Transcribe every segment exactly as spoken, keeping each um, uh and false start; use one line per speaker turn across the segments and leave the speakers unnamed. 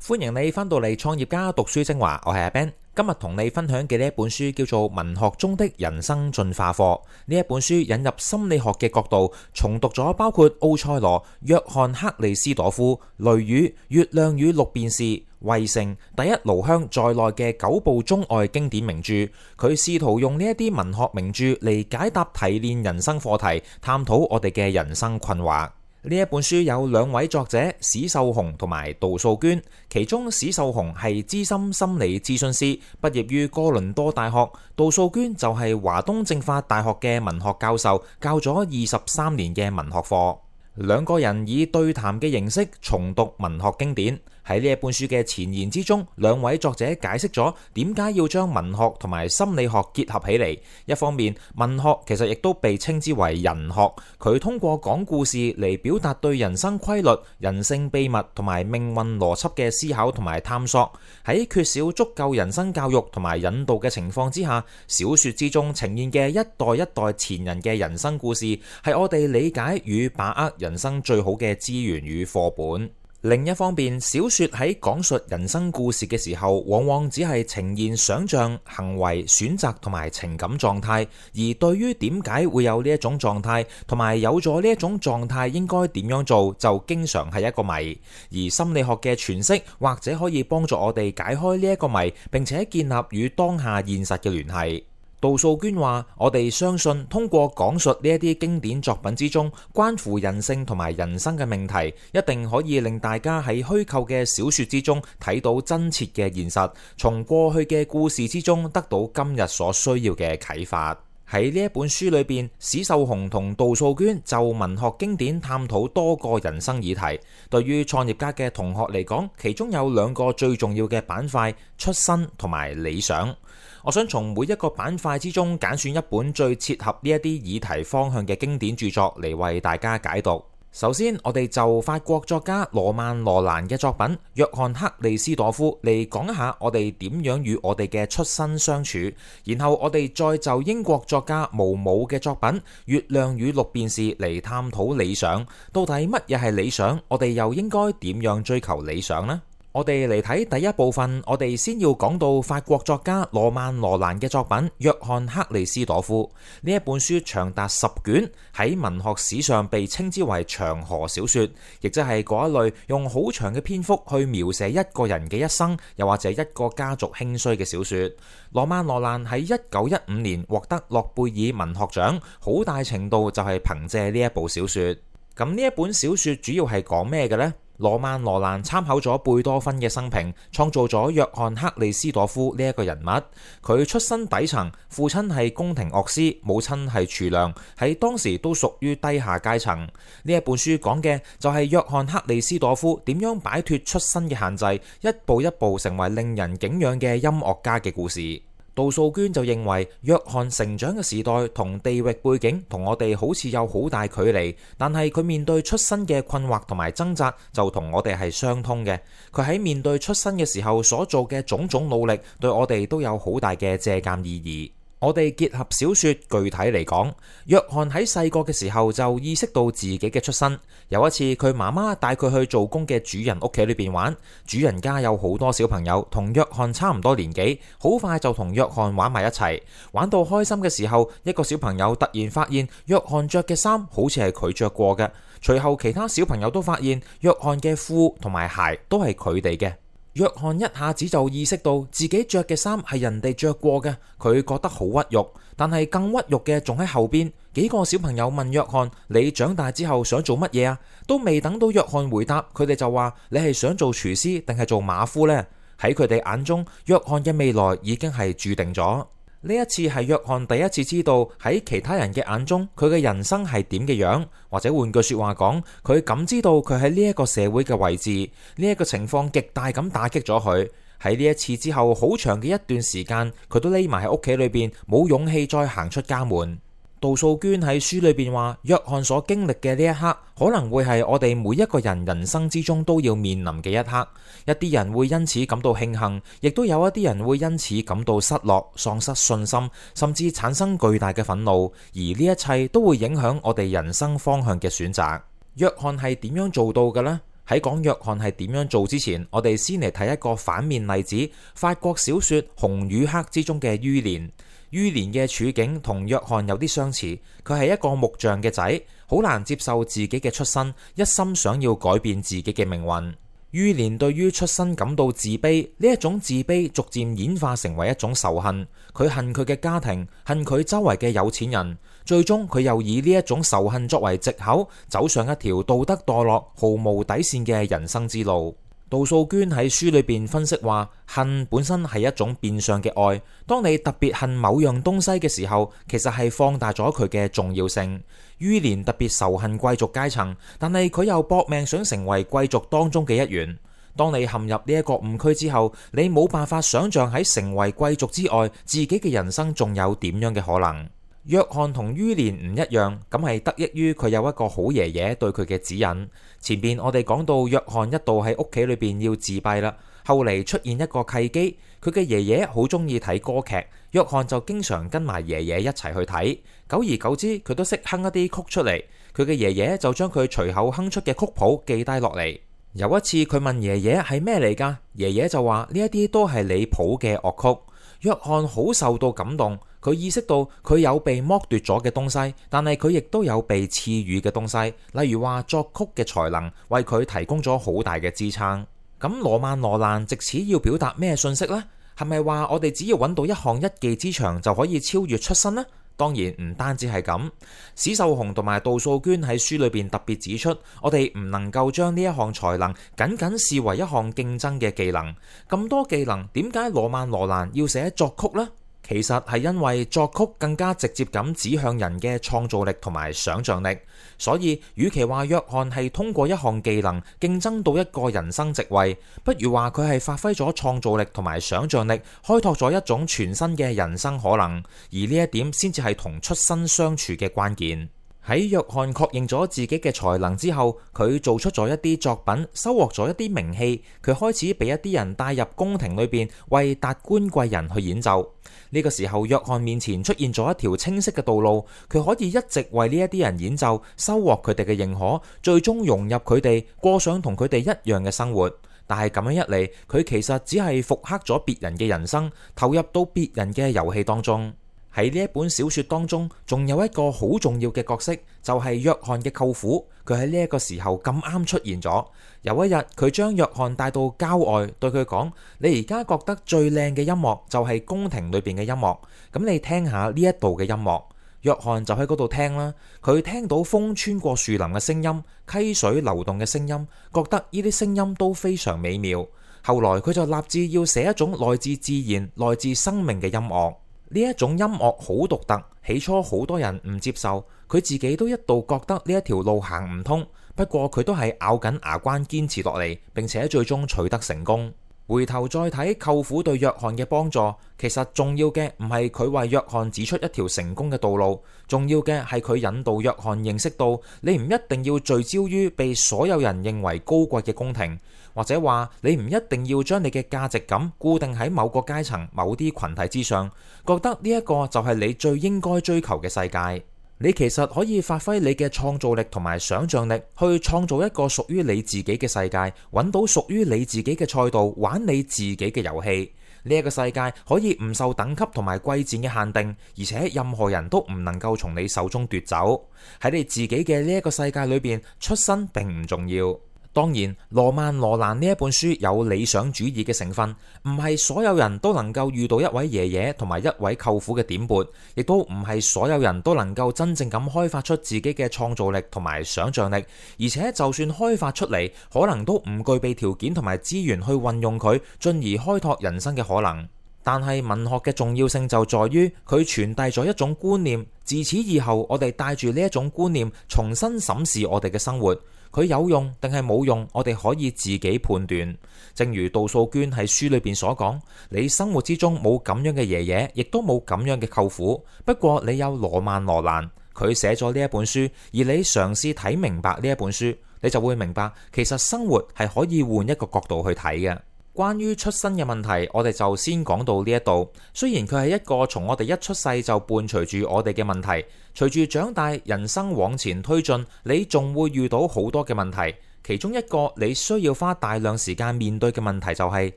歡迎你返到嚟創業家讀書精華，我係阿 Ben。今日同你分享嘅呢一本書叫做《文學中的人生進化課》。呢一本書引入心理學嘅角度，重讀咗包括奧賽羅、約翰克里斯朵夫、雷雨、月亮與六便士、圍城、第一爐香在內嘅九部中外經典名著。佢試圖用呢一啲文學名著嚟解答提煉人生課題，探討我哋嘅人生困惑。呢一本書有兩位作者史秀雄同埋杜素娟，其中史秀雄係資深心理諮詢師，畢業於哥倫多大學；杜素娟就係華東政法大學嘅文學教授，教咗二十三年嘅文學課。兩個人以對談嘅形式重讀文學經典。喺呢一本書嘅前言之中，兩位作者解釋咗點解要將文學同埋心理學結合起嚟。一方面，文學其實亦都被稱之為人學，佢通過講故事嚟表達對人生規律、人性秘密同埋命運邏輯嘅思考同埋探索。喺缺少足夠人生教育同埋引導嘅情況之下，小說之中呈現嘅一代一代前人嘅人生故事，係我哋理解與把握人生最好嘅資源與課本。另一方面，小說喺講述人生故事嘅時候，往往只係呈現想像、行為、選擇同埋情感狀態，而對於點解會有呢一種狀態，同埋有咗呢一種狀態應該點樣做，就經常係一個謎。而心理學嘅詮釋，或者可以幫助我哋解開呢一個謎，並且建立與當下現實嘅聯繫。杜素娟話：我哋相信通過講述呢一啲經典作品之中關乎人性同埋人生嘅命題，一定可以令大家喺虛構嘅小說之中睇到真切嘅現實，從過去嘅故事之中得到今日所需要嘅啟發。喺呢一本書裏邊，史秀雄同杜素娟就文學經典探討多個人生議題。對於創業家嘅同學嚟講，其中有兩個最重要嘅板塊：出身同埋理想。我想從每一個板塊之中揀選一本最切合呢一啲議題方向嘅經典著作嚟為大家解讀。首先，我哋就法國作家羅曼羅蘭嘅作品《約翰克里斯朵夫》嚟講一下我哋點樣與我哋嘅出身相處，然後我哋再就英國作家毛姆嘅作品《月亮與六便士》嚟探討理想。到底乜嘢係理想？我哋又應該點樣追求理想呢？我哋嚟睇第一部分，我哋先要講到法國作家羅曼羅蘭嘅作品《約翰克里斯朵夫》。呢一本書長達十卷，喺文學史上被稱之為長河小說，亦即係嗰一類用好長嘅篇幅去描寫一個人嘅一生，又或者一個家族興衰嘅小說。羅曼羅蘭喺一九一五年獲得諾貝爾文學獎，好大程度就係憑借呢一部小說。咁呢一本小說主要係講咩嘅呢？羅曼羅蘭參考咗貝多芬嘅生平，創造咗約翰克里斯朵夫呢一個人物。佢出身底層，父親係宮廷樂師，母親係廚娘，喺當時都屬於低下階層。呢一本書講嘅就係約翰克里斯朵夫點樣擺脫出身嘅限制，一步一步成為令人敬仰嘅音樂家嘅故事。杜素娟就認為約翰成長嘅時代同地域背景同我哋好似有好大距離，但係佢面對出身嘅困惑同埋掙扎就同我哋係相通嘅。佢喺面對出身嘅時候所做嘅種種努力，對我哋都有好大嘅借鑑意義。我哋結合小說具體嚟講，約翰喺細個嘅時候就意識到自己嘅出身。有一次佢媽媽帶佢去做工嘅主人屋企裏邊玩，主人家有好多小朋友同約翰差唔多年紀，好快就同約翰玩埋一齊。玩到開心嘅時候，一個小朋友突然發現約翰着嘅衫好似係佢着過嘅，隨後其他小朋友都發現約翰嘅褲同埋鞋都係佢哋嘅。約翰一下子就意識到自己着嘅衫係人哋着過嘅，佢覺得好屈辱。但係更屈辱嘅仲喺後邊，幾個小朋友問約翰：你長大之後想做乜嘢啊？都未等到約翰回答，佢哋就話：你係想做廚師定係做馬夫呢？喺佢哋眼中，約翰嘅未來已經係注定咗。呢一次係約翰第一次知道喺其他人嘅眼中佢嘅人生係點嘅樣，或者換句說話講，佢感知到佢喺呢一個社會嘅位置。呢一個情況極大咁打擊咗佢。喺呢一次之後，好長嘅一段時間，佢都匿埋喺屋企裏邊，冇勇氣再行出家門。杜素娟喺書裏邊話，約翰所經歷嘅呢一刻，可能會係我哋每一個人人生之中都要面臨嘅一刻。一啲人會因此感到慶幸，亦都有一啲人會因此感到失落、喪失信心，甚至產生巨大嘅憤怒。而呢一切都會影響我哋人生方向嘅選擇。約翰係點樣做到嘅呢？喺講約翰係點樣做之前，我哋先嚟睇一個反面例子，法國小說《紅與黑》之中嘅于連。于連嘅處境同約翰有啲相似，佢係一個木匠嘅仔，好難接受自己嘅出身，一心想要改變自己嘅命運。于連對於出身感到自卑，呢一種自卑逐漸演化成為一種仇恨。佢恨佢嘅家庭，恨佢周圍嘅有錢人，最終佢又以呢一種仇恨作為藉口，走上一條道德墮落、毫無底線嘅人生之路。杜素娟喺書裏邊分析話，恨本身係一種變相嘅愛。當你特別恨某樣東西嘅時候，其實係放大咗佢嘅重要性。于連特別仇恨貴族階層，但係佢又搏命想成為貴族當中嘅一員。當你陷入呢一個誤區之後，你冇辦法想象喺成為貴族之外，自己嘅人生仲有點樣嘅可能。約翰同于連唔一樣，咁係得益於佢有一個好爺爺對佢嘅指引。前邊我哋講到約翰一度喺屋企裏邊要自閉啦，後嚟出現一個契機，佢嘅爺爺好中意睇歌劇，約翰就經常跟埋爺爺一齊去睇，久而久之佢都識哼一啲曲出嚟，佢嘅爺爺就將佢隨口哼出嘅曲譜記低落嚟。有一次佢問爺爺係咩嚟㗎，爺爺就話呢一啲都係你譜嘅樂曲。約翰好受到感動，佢意識到佢有被剝奪咗嘅東西，但係佢亦都有被賜予嘅東西，例如話作曲嘅才能為佢提供咗好大嘅支撐。咁羅曼羅蘭藉此要表達咩信息呢？係咪話我哋只要揾到一項一技之長就可以超越出身呢？當然唔單止係咁，史秀雄同埋杜素娟喺書裏邊特別指出，我哋唔能夠將呢一項才能僅僅視為一項競爭嘅技能。咁多技能，點解羅曼羅蘭要寫作曲呢？其實係因為作曲更加直接咁指向人嘅創造力同埋想像力，所以與其話約翰係通過一項技能競爭到一個人生職位，不如話佢係發揮咗創造力同埋想像力，開拓咗一種全新嘅人生可能，而呢一點先至係同出身相處嘅關鍵。喺約翰確認咗自己嘅才能之後，佢做出咗一啲作品，收穫咗一啲名氣，佢開始俾一啲人帶入宮廷裏邊，為達官貴人去演奏。呢個時候，約翰面前出現咗一條清晰嘅道路，佢可以一直為呢一啲人演奏，收穫佢哋嘅認可，最終融入佢哋，過上同佢哋一樣嘅生活。但係咁樣一嚟，佢其實只係復刻咗別人嘅人生，投入到別人嘅遊戲當中。喺呢一本小說當中，仲有一個好重要嘅角色，就係約翰嘅舅父。佢喺呢一個時候咁啱出現咗。有一日，佢將約翰帶到郊外，對佢講：你而家覺得最靚嘅音樂就係宮廷裏邊嘅音樂，咁你聽下呢一度嘅音樂。約翰就喺嗰度聽啦，佢聽到風穿過樹林嘅聲音，溪水流動嘅聲音，覺得呢啲聲音都非常美妙。後來佢就立志要寫一種來自自然、來自生命嘅音樂。呢一種音樂好獨特，起初好多人唔接受，佢自己都一度覺得呢一條路行唔通。不過佢都係咬緊牙關堅持落嚟，並且最終取得成功。回頭再睇舅父對約翰嘅幫助，其實重要嘅唔係佢為約翰指出一條成功嘅道路，重要嘅係佢引導約翰認識到，你唔一定要聚焦於被所有人認為高貴嘅宮廷，或者話你唔一定要將你嘅價值感固定喺某個階層、某啲群體之上，覺得呢一個就係你最應該追求嘅世界。你其實可以發揮你嘅創造力同埋想像力，去創造一個屬於你自己嘅世界，揾到屬於你自己嘅賽道，玩你自己嘅遊戲。呢一個世界可以唔受等級同埋貴賤嘅限定，而且任何人都唔能夠從你手中奪走。喺你自己嘅呢一個世界裏邊，出身並唔重要。當然，羅曼羅蘭呢一本書有理想主義嘅成分，唔係所有人都能夠遇到一位爺爺同埋一位舅父嘅點撥，亦都唔係所有人都能夠真正咁開發出自己嘅創造力同埋想像力，而且就算開發出嚟，可能都唔具備條件同埋資源去運用佢，進而開拓人生嘅可能。但係文學嘅重要性就在於佢傳遞咗一種觀念，自此以後我哋帶住呢一種觀念重新審視我哋嘅生活。佢有用定係冇用，我哋可以自己判斷。正如杜素娟喺書裏邊所講，你生活之中冇咁樣嘅爺爺，亦都冇咁樣嘅舅父。不過你有羅曼羅蘭，佢寫咗呢一本書，而你嘗試睇明白呢一本書，你就會明白，其實生活係可以換一個角度去睇嘅。關於出身嘅問題，我哋就先講到呢一度。雖然佢係一個從我哋一出世就伴隨住我哋嘅問題，隨住長大，人生往前推進，你仲會遇到好多嘅問題。其中一個你需要花大量時間面對嘅問題就係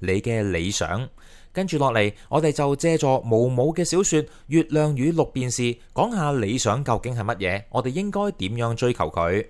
你嘅理想。跟住落嚟，我哋就借助毛姆嘅小說《月亮與六便士》講下理想究竟係乜嘢，我哋應該點樣追求佢。《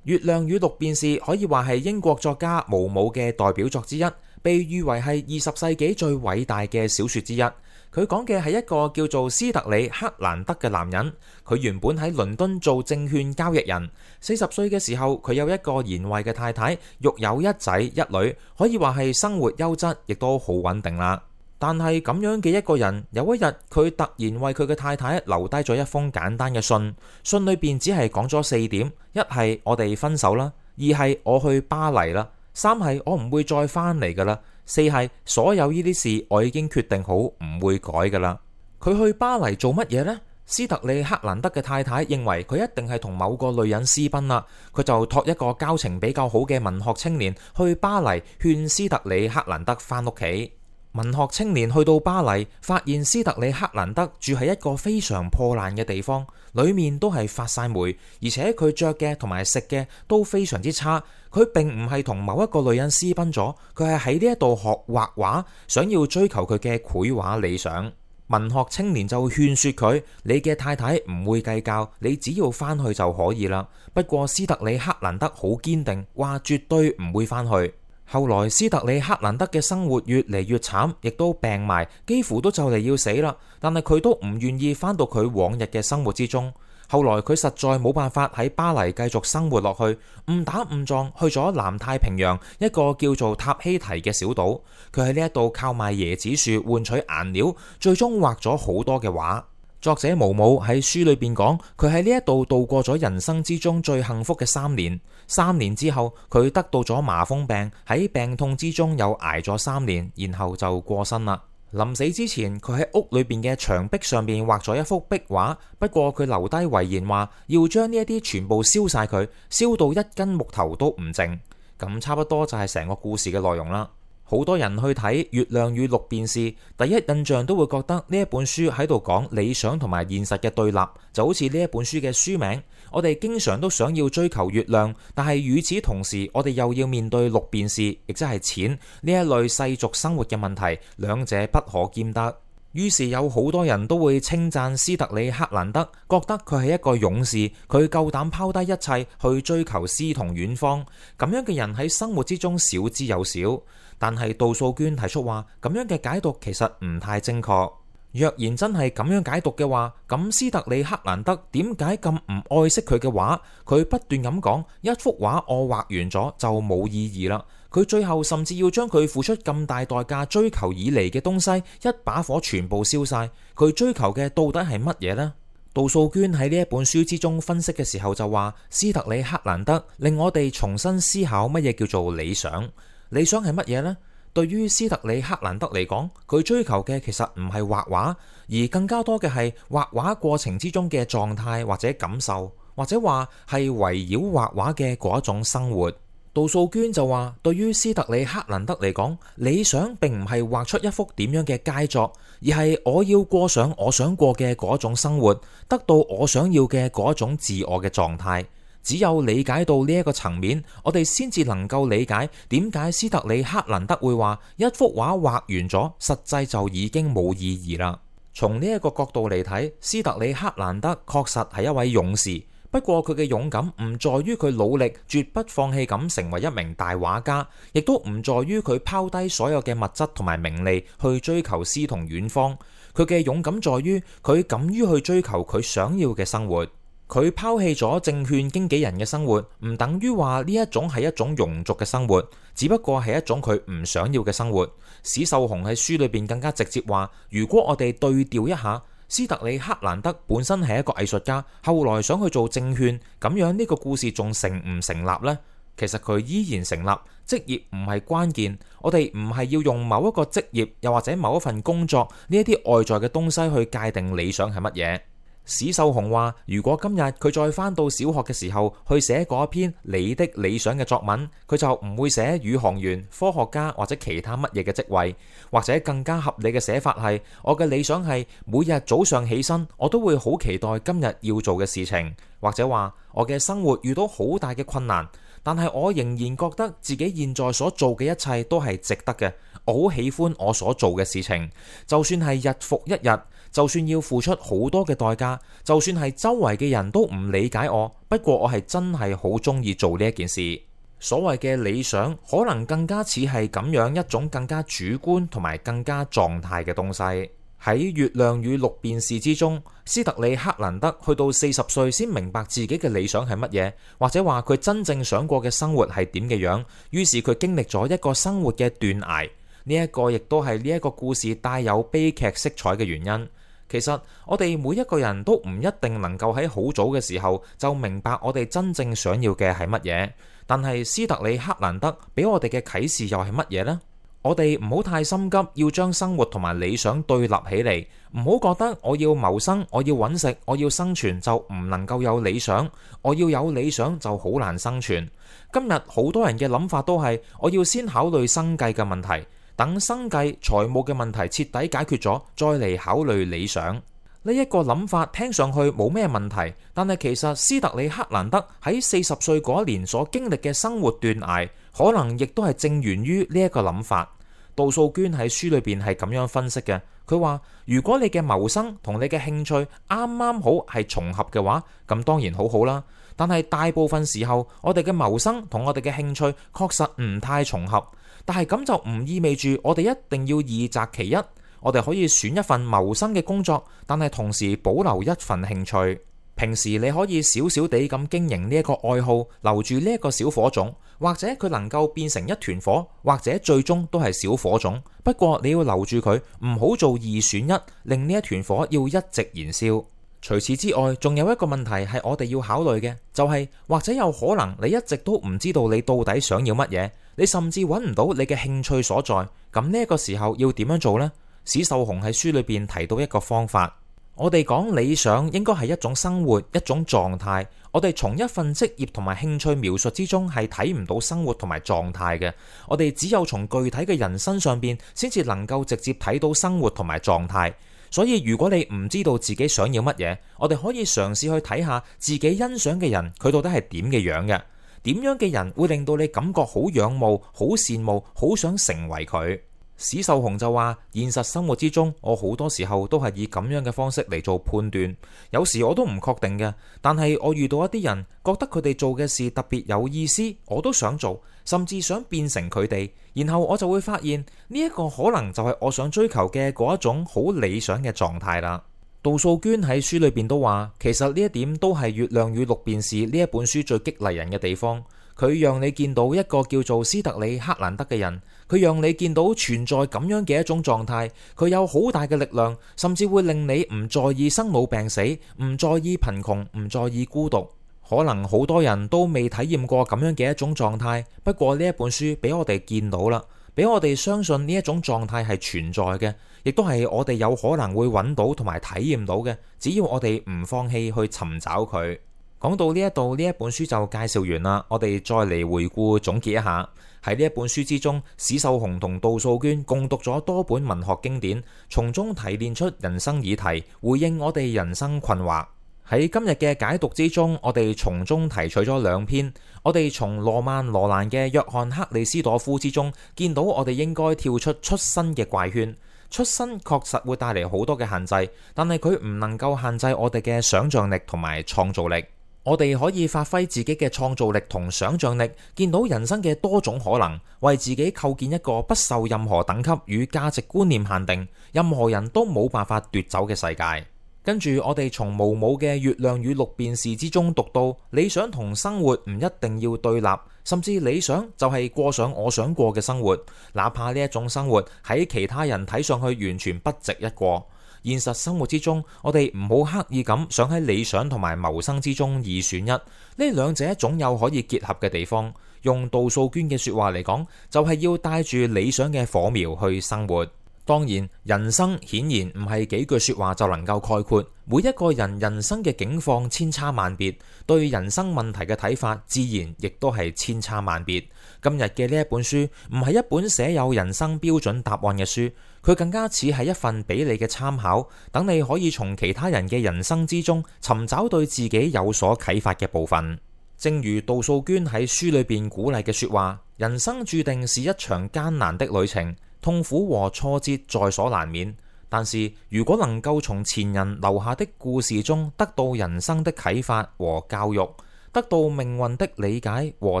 月亮與六便士》可以話係英國作家毛姆嘅代表作之一，被譽為係二十世紀最偉大嘅小說之一。佢講嘅係一個叫做斯特里克蘭德嘅男人，佢原本喺倫敦做證券交易人。四十歲嘅時候，佢有一個賢惠嘅太太，育有一仔一女，可以話係生活優質，亦都好穩定啦。但係咁樣嘅一個人，有一日佢突然為佢嘅太太留低咗一封簡單嘅信，信裏邊只係講咗四點：一係我哋分手啦，二係我去巴黎啦，三係我唔會再翻嚟噶啦，四係所有呢啲事我已經決定好唔會改噶啦。佢去巴黎做乜嘢呢？斯特里克蘭德嘅太太認為佢一定係同某個女人私奔啦，佢就託一個交情比較好嘅文學青年去巴黎勸斯特里克蘭德翻屋企。文學青年去到巴黎，發現斯特里克蘭德住喺一個非常破爛嘅地方，裏面都係發晒霉，而且佢着嘅同埋食嘅都非常之差。佢並唔係同某一個女人私奔咗，佢係喺呢一度學畫畫，想要追求佢嘅繪畫理想。文學青年就勸說佢：你嘅太太唔會計較，你只要翻去就可以啦。不過斯特里克蘭德好堅定，話絕對唔會翻去。後來斯特里克蘭德嘅生活越嚟越慘，亦都病埋，幾乎都就嚟要死啦。但係佢都唔願意翻到佢往日嘅生活之中。後來佢實在冇辦法喺巴黎繼續生活落去，誤打誤撞去咗南太平洋一個叫做塔希提嘅小島。佢喺呢一度靠賣椰子樹換取顏料，最終畫咗好多嘅畫。作者毛姆喺書裏邊講，佢喺呢一度度過咗人生之中最幸福嘅三年。三年之後，佢得到咗麻風病，喺病痛之中又挨咗三年，然後就過身啦。臨死之前，佢喺屋裏邊嘅牆壁上面畫咗一幅壁畫，不過佢留低遺言話要將呢一啲全部燒晒佢，燒到一根木頭都唔剩。咁差不多就係成個故事嘅內容啦。好多人去睇《月亮與六便士》，第一印象都會覺得呢一本書喺度講理想同埋現實嘅對立，就好似呢一本書嘅書名。我哋經常都想要追求月亮，但係與此同時，我哋又要面對六便士，亦即係錢呢一類世俗生活嘅問題，兩者不可兼得。於是有好多人都會稱讚斯特里克蘭德，覺得佢係一個勇士，佢夠膽拋低一切去追求詩同遠方。咁樣嘅人喺生活之中少之又少。但係杜素娟提出話，咁樣嘅解讀其實唔太正確。若然真係咁樣解讀嘅話，咁斯特里克蘭德點解咁唔愛惜佢嘅畫？佢不斷咁講，一幅畫我畫完咗就冇意義啦。佢最後甚至要將佢付出咁大代價追求以嚟嘅東西，一把火全部燒晒。佢追求嘅到底係乜嘢呢？杜素娟喺呢一本書之中分析嘅時候就話，斯特里克蘭德令我哋重新思考乜嘢叫做理想。理想係乜嘢呢？對於斯特里克蘭德嚟講，佢追求嘅其實唔係畫畫，而更加多嘅係畫畫過程之中嘅狀態或者感受，或者話係圍繞畫畫嘅嗰一種生活。杜素娟就話，對於斯特里克蘭德嚟講，理想並唔係畫出一幅點樣嘅佳作，而係我要過上我想過嘅嗰種生活，得到我想要嘅嗰種自我嘅狀態。只有理解到呢一個層面，我哋先至能夠理解點解斯特里克蘭德會話一幅畫畫完咗，實際就已經冇意義啦。從呢一個角度嚟睇，斯特里克蘭德確實係一位勇士，不過佢嘅勇敢唔在於佢努力絕不放棄咁成為一名大畫家，亦都唔在於佢拋低所有嘅物質同埋名利去追求詩同遠方。佢嘅勇敢在於佢敢於去追求佢想要嘅生活。佢拋棄咗證券經紀人嘅生活，唔等於話呢一種係一種庸俗嘅生活，只不過係一種佢唔想要嘅生活。史秀雄喺書裏邊更加直接話，如果我哋對調一下，斯特里克蘭德本身係一個藝術家，後來想去做證券，咁樣呢個故事仲成唔成立呢？其實佢依然成立，職業唔係關鍵，我哋唔係要用某一個職業又或者某一份工作呢一啲外在嘅東西去界定理想係乜嘢。史秀雄話，如果今日佢再返到小學嘅時候去寫嗰一篇你的理想嘅作文，佢就唔會寫宇航員、科學家或者其他乜嘢嘅職位，或者更加合理嘅寫法係，我嘅理想係每日早上起身，我都會好期待今日要做嘅事情，或者話我嘅生活遇到好大嘅困難，但係我仍然覺得自己現在所做嘅一切都係值得嘅。我好喜歡我所做嘅事情，就算係日復一日，就算要付出好多嘅代價，就算係周圍嘅人都唔理解我，不過我係真係好中意做呢一件事。所謂嘅理想，可能更加似係咁樣一種更加主觀同埋更加狀態嘅東西。喺《月亮與六便士》之中，斯特里克蘭德去到四十歲先明白自己嘅理想係乜嘢，或者話佢真正想過嘅生活係點嘅樣。於是佢經歷咗一個生活嘅斷崖，呢一個亦都係呢一個故事帶有悲劇色彩嘅原因。其實我哋每一個人都唔一定能夠喺好早嘅時候就明白我哋真正想要嘅係乜嘢，但係斯特里克蘭德俾我哋嘅啟示又係乜嘢呢？我哋唔好太心急，要將生活同埋理想對立起嚟，唔好覺得我要謀生，我要揾食，我要生存就唔能夠有理想，我要有理想就好難生存。今日好多人嘅諗法都係，我要先考慮生計嘅問題，等生計財務嘅問題徹底解決咗，再嚟考慮理想。呢一個諗法聽上去冇咩問題，但係其實斯特里克蘭德喺四十歲嗰一年所經歷嘅生活斷崖，可能亦都係正源於呢一個諗法。杜素娟喺書裏邊係咁樣分析嘅，佢話如果你嘅謀生同你嘅興趣啱啱好係重合嘅話，咁當然好好啦。但係大部分時候，我哋嘅謀生同我哋嘅興趣確實唔太重合，但係咁就唔意味住我哋一定要二擇其一。我哋可以選一份謀生嘅工作，但係同時保留一份興趣。平時你可以少少地咁經營呢一個愛好，留住呢一個小火種，或者佢能夠變成一團火，或者最終都係小火種。不過你要留住佢，唔好做二選一，令呢一團火要一直燃燒。除此之外，仲有一個問題係我哋要考慮嘅，就係或者有可能你一直都唔知道你到底想要乜嘢，你甚至揾唔到你嘅興趣所在。咁呢個時候要點樣做呢？史秀雄喺書裏邊提到一個方法。我哋講理想應該係一種生活，一種狀態。我哋從一份職業同埋興趣描述之中係睇唔到生活同埋狀態嘅。我哋只有從具體嘅人身上邊，先至能夠直接睇到生活同埋狀態。所以如果你唔知道自己想要乜嘢，我哋可以嘗試去睇下自己欣賞嘅人，佢到底係點嘅樣嘅？點樣嘅人會令到你感覺好仰慕、好羨慕、好想成為佢？史秀雄就話：現實生活之中，我好多時候都係以咁樣嘅方式嚟做判斷，有時我都唔確定嘅。但係我遇到一啲人，覺得佢哋做嘅事特別有意思，我都想做，甚至想變成佢哋。然後我就會發現呢一個可能就係我想追求嘅嗰一種好理想嘅狀態啦。杜素娟喺書裏邊都話，其實呢一點都係《月亮與六便士》呢一本書最激勵人嘅地方。佢讓你見到一個叫做斯特里克蘭德嘅人，佢讓你見到存在咁樣嘅一種狀態，佢有好大嘅力量，甚至會令你唔在意生老病死，唔在意貧窮，唔在意孤獨。可能好多人都未體驗過咁樣嘅一種狀態，不過呢一本書俾我哋見到啦，俾我哋相信呢一種狀態係存在嘅，亦都係我哋有可能會揾到同埋體驗到嘅，只要我哋唔放棄去尋找佢。講到呢一度，呢一本書就介紹完啦。我哋再嚟回顧總結一下。喺呢一本書之中，史秀雄同杜素娟共讀咗多本文學經典，從中提煉出人生議題，回應我哋人生困惑。喺今日嘅解讀之中，我哋從中提取咗兩篇。我哋從羅曼羅蘭嘅約翰克里斯朵夫之中，見到我哋應該跳出出身嘅怪圈。出身確實會帶嚟好多嘅限制，但係佢唔能夠限制我哋嘅想像力同埋創造力。我哋可以發揮自己嘅創造力同想像力，見到人生嘅多種可能，為自己構建一個不受任何等級與價值觀念限定，任何人都冇辦法奪走嘅世界。跟住我哋從毛姆嘅《月亮與六便士》之中讀到，理想同生活唔一定要對立，甚至理想就係過上我想過嘅生活，哪怕呢一種生活喺其他人睇上去完全不值一過。現實生活之中，我哋唔好刻意咁想喺理想同埋謀生之中二選一，呢兩者總有可以結合嘅地方。用杜素娟嘅說話嚟講，就係要帶住理想嘅火苗去生活。當然，人生顯然唔係幾句說話就能夠概括。每一個人人生嘅境況千差萬別，對人生問題嘅睇法自然亦都係千差萬別。今日嘅呢一本書唔係一本寫有人生標準答案嘅書，佢更加似係一份俾你嘅參考，等你可以從其他人嘅人生之中尋找對自己有所啟發嘅部分。正如杜素娟喺書裏邊鼓勵嘅說話，人生注定是一場艱難的旅程，痛苦和挫折在所難免。但是如果能夠從前人留下的故事中得到人生的啟發和教育，得到命運的理解和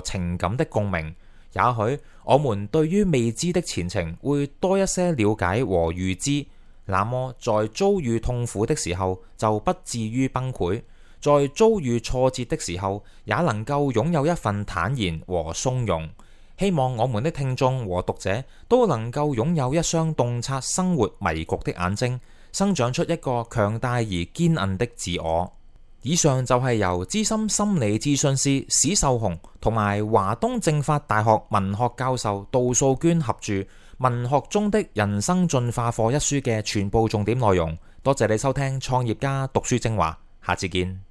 情感的共鳴，也許我們對於未知的前程會多一些了解和預知，那麼在遭遇痛苦的時候就不至於崩潰，在遭遇挫折的時候也能夠擁有一份坦然和從容。希望我們的聽眾和讀者都能夠擁有一雙洞察生活迷局的眼睛，生長出一個強大而堅韌的自我。以上就係由資深心理諮詢師史秀紅同埋華東政法大學文學教授杜素娟合著《文學中的人生進化課》一書嘅全部重點內容。多謝你收聽創業家讀書精華，下次見。